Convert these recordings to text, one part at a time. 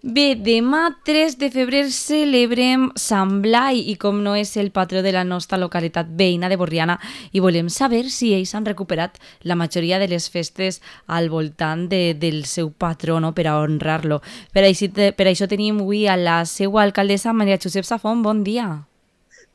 Bé, demà 3 de febrer celebrem Sant Blai i com no és el patró de la nostra localitat veïna de Borriana i volem saber si ells han recuperat la majoria de les festes al voltant del seu patró, no?, per a honrar-lo. Per això tenim avui a la seva alcaldessa, Maria Josep Safont. Bon dia.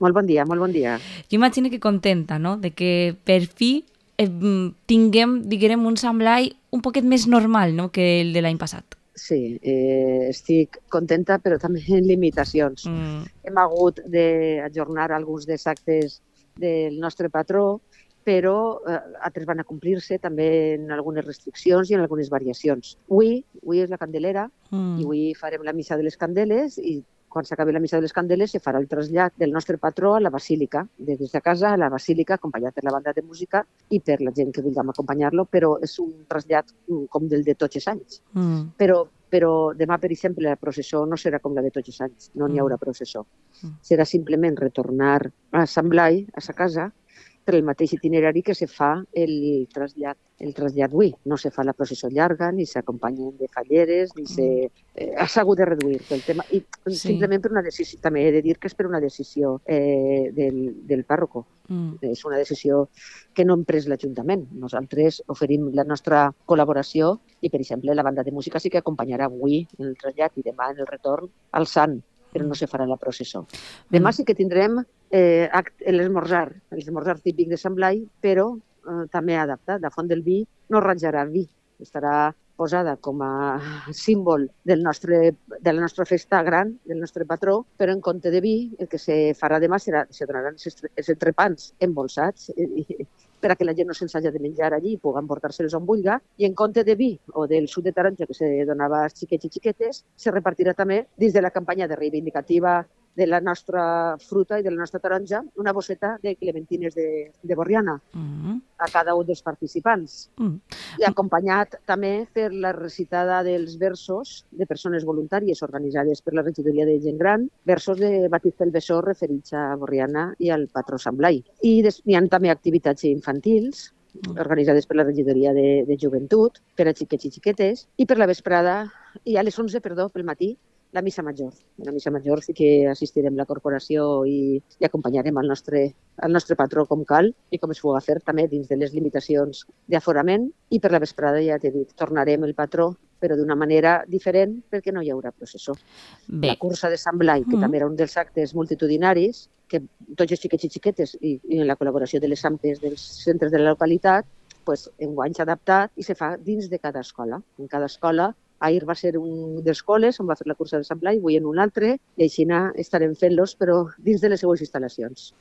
Molt bon dia, molt bon dia. Jo imagino que contenta, no?, de que per fi tinguem, diguem, un Sant Blai un poquet més normal, no?, que el de l'any passat. Sí, estic contenta, però també en limitacions. Hem hagut d'ajornar alguns dels actes del nostre patró, però altres van a complir-se també en algunes restriccions i en algunes variacions. Avui és la Candelera i avui farem la missa de les Candeles i quan s'acabi la missa de les Candeles se farà el trasllat del nostre patró a la Basílica, des de casa a la Basílica, acompanyat per la banda de música i per la gent que vulguem acompanyar-lo, però és un trasllat com del de tots els anys. Però demà, per exemple, la processó no serà com la de tots els anys, no n'hi haurà processó. Serà simplement retornar a Sant Blai, a sa casa, per el mateix itinerari que se fa el trasllat avui. No se fa la processó llarga, ni s'acompanyen de falleres, ni s'ha hagut de reduir el tema. I simplement per una decisió, també he de dir que és per una decisió del pàrroco. És una decisió que no hem pres l'Ajuntament. Nosaltres oferim la nostra col·laboració i, per exemple, la banda de música sí que acompanyarà avui en el trasllat i demà en el retorn al Sant, però no se farà la processó. Demà sí que tindrem l'esmorzar típic de Sant Blai, però també adaptat. La Font del Vi no rajarà vi, estarà posada com a símbol de la nostra festa gran, del nostre patró, però en compte de vi, el que se farà demà se donaran els entrepans embolsats per a que la gent no se'ls hagi de menjar allí i pugui portar-se-los on vulgui, i en compte de vi o del suc de taronja que se donava als xiquets i xiquetes, se repartirà també dins de la campanya de reivindicativa de la nostra fruta i de la nostra taronja, una bosseta de clementines de Borriana a cada un dels participants. I acompanyat també per la recitada dels versos de persones voluntàries organitzades per la regidoria de gent gran, versos de Batista el Bessó referits a Borriana i al patró Sant Blai. I hi ha també activitats infantils organitzades per la regidoria de joventut, per a xiquets i xiquetes, i per la vesprada, i a les 11, pel matí, la missa major. A la missa major sí que assistirem la corporació i acompanyarem el nostre patró com cal i com es puga fer també dins de les limitacions d'aforament, i per la vesprada, ja t'he dit, tornarem el patró però d'una manera diferent perquè no hi haurà processó. La cursa de Sant Blai, que també era un dels actes multitudinaris, que tots els xiquets i xiquetes i en la col·laboració de les AMPes dels centres de la localitat, enguany s'ha adaptat i se fa dins de cada escola. En cada escola, ahir va ser un dels col·les on va fer la cursa de Sant Blai, avui en un altre, i així estarem fent-los, però dins de les seues instal·lacions.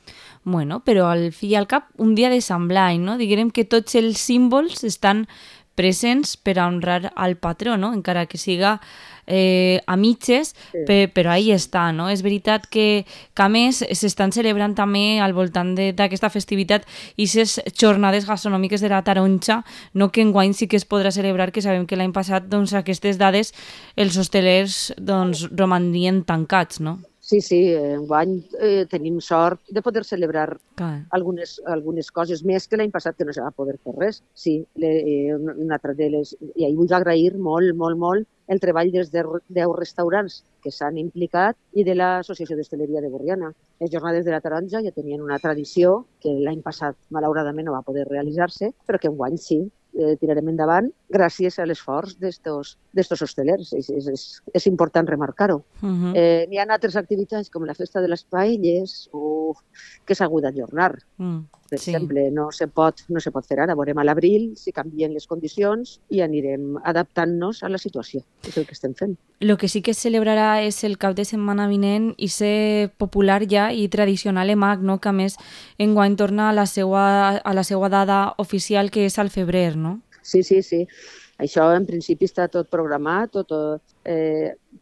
Bueno, però al fi i al cap, un dia de Sant Blai, no? Diguem que tots els símbols estan presents per a honrar al patró, no? Encara que siga a mitges, però ahí està, no? És veritat que a més s'estan celebrant també al voltant d'aquesta festivitat i aquestes jornades gastronòmiques de la taronja, no, que enguany sí que es podrà celebrar, que sabem que l'any passat, doncs, aquestes dades els hostelers romanien tancats, no? Sí, enguany tenim sort de poder celebrar algunes coses més que l'any passat, que no se va poder fer res. Sí, una altra de les... I ahir vull agrair molt, molt, molt el treball dels 10 restaurants que s'han implicat i de l'Associació d'Hostaleria de Borriana. Les jornades de la taronja ja tenien una tradició que l'any passat, malauradament, no va poder realitzar-se, però que enguany sí, tirarem endavant gràcies a l'esforç d'estos hostelers. És important remarcar-ho. N'hi ha altres activitats com la festa de les paelles que s'ha hagut d'ajornar. Per exemple, no se pot fer ara. Veurem a l'abril si canvien les condicions i anirem adaptant-nos a la situació. És el que estem fent. El que sí que es celebrarà és el cap de setmana vinent i ser popular ja i tradicional EMAG, no? Que a més enguany torna a la seva dada oficial, que és al febrer, no? Sí. Això en principi està tot programat, tot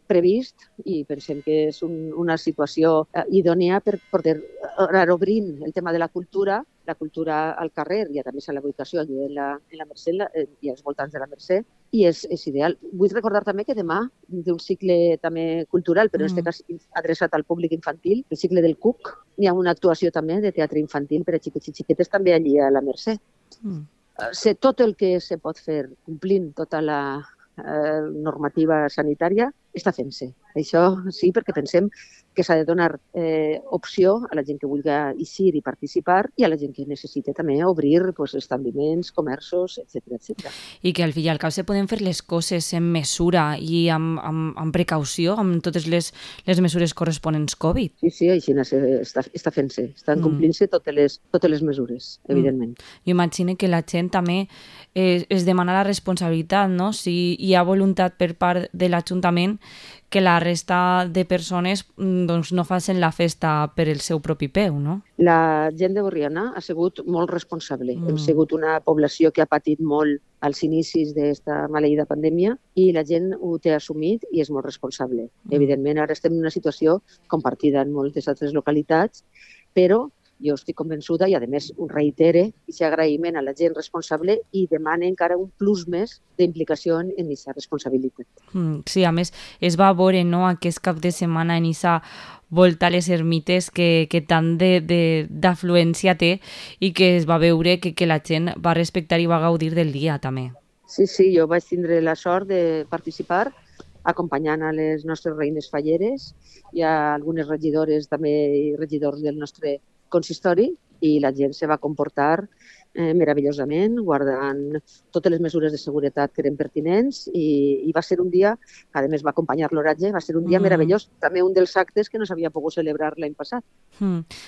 previst, i pensem que és una situació idònia per poder anar obrint el tema de la cultura al carrer i a més a la ubicació en la Mercè i als voltants de la Mercè, i és ideal. Vull recordar també que demà, d'un cicle també cultural, però en aquest cas adreçat al públic infantil, el cicle del Cuc, hi ha una actuació també de teatre infantil per a xiquets i xiquetes també allí a la Mercè. Tot el que se pot fer complint tota la normativa sanitària està fent-se. Això sí, perquè pensem que s'ha de donar opció a la gent que vulgui eixir i participar i a la gent que necessita també obrir establiments, comerços, etc. I que al fi i al cap se poden fer les coses en mesura i amb precaució, amb totes les mesures corresponents Covid. Sí, així està fent-se. Estan complint-se totes les mesures, evidentment. Jo imagino que la gent també es demana la responsabilitat, no? Si hi ha voluntat per part de l'Ajuntament que la resta de persones doncs, no facin la festa per el seu propi peu, no? La gent de Borriana ha sigut molt responsable. Hem sigut una població que ha patit molt als inicis d'aquesta maleïda pandèmia i la gent ho té assumit i és molt responsable. Evidentment, ara estem en una situació compartida en moltes altres localitats, però jo estic convençuda i, a més, ho reitere aquest agraïment a la gent responsable i demana encara un plus més d'implicació en aquesta responsabilitat. Sí, a més, es va veure, no?, aquest cap de setmana en aquesta volta a les ermites que tant d'afluència té i que es va veure que la gent va respectar i va gaudir del dia, també. Sí, jo vaig tindre la sort de participar acompanyant a les nostres reines falleres i a algunes regidores també i regidors del nostre consistori i la gent se va comportar meravellosament, guardant totes les mesures de seguretat que eren pertinents i va ser un dia, que a més va acompanyar l'oratge, va ser un dia meravellós, també un dels actes que no s'havia pogut celebrar l'any passat.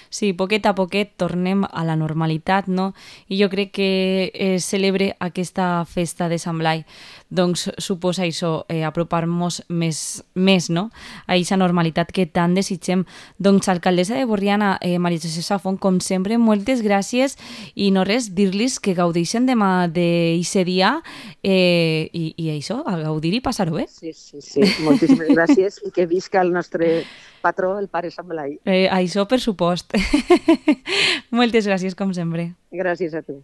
Sí, poquet a poquet tornem a la normalitat, no? I jo crec que celebre aquesta festa de Sant Blai, doncs suposa això, apropar-nos més, no?, a aquesta normalitat que tant desitgem. Doncs, alcaldessa de Borriana, Maria José Safont, com sempre, moltes gràcies i no res, dir-los que gaudeixen demà d'aquest dia i això, a gaudir i passar-ho bé. Sí, moltíssimes gràcies i que visca el nostre patró, el pare Sant Blai. Això per supost. Moltes gràcies, com sempre. Gràcies a tu.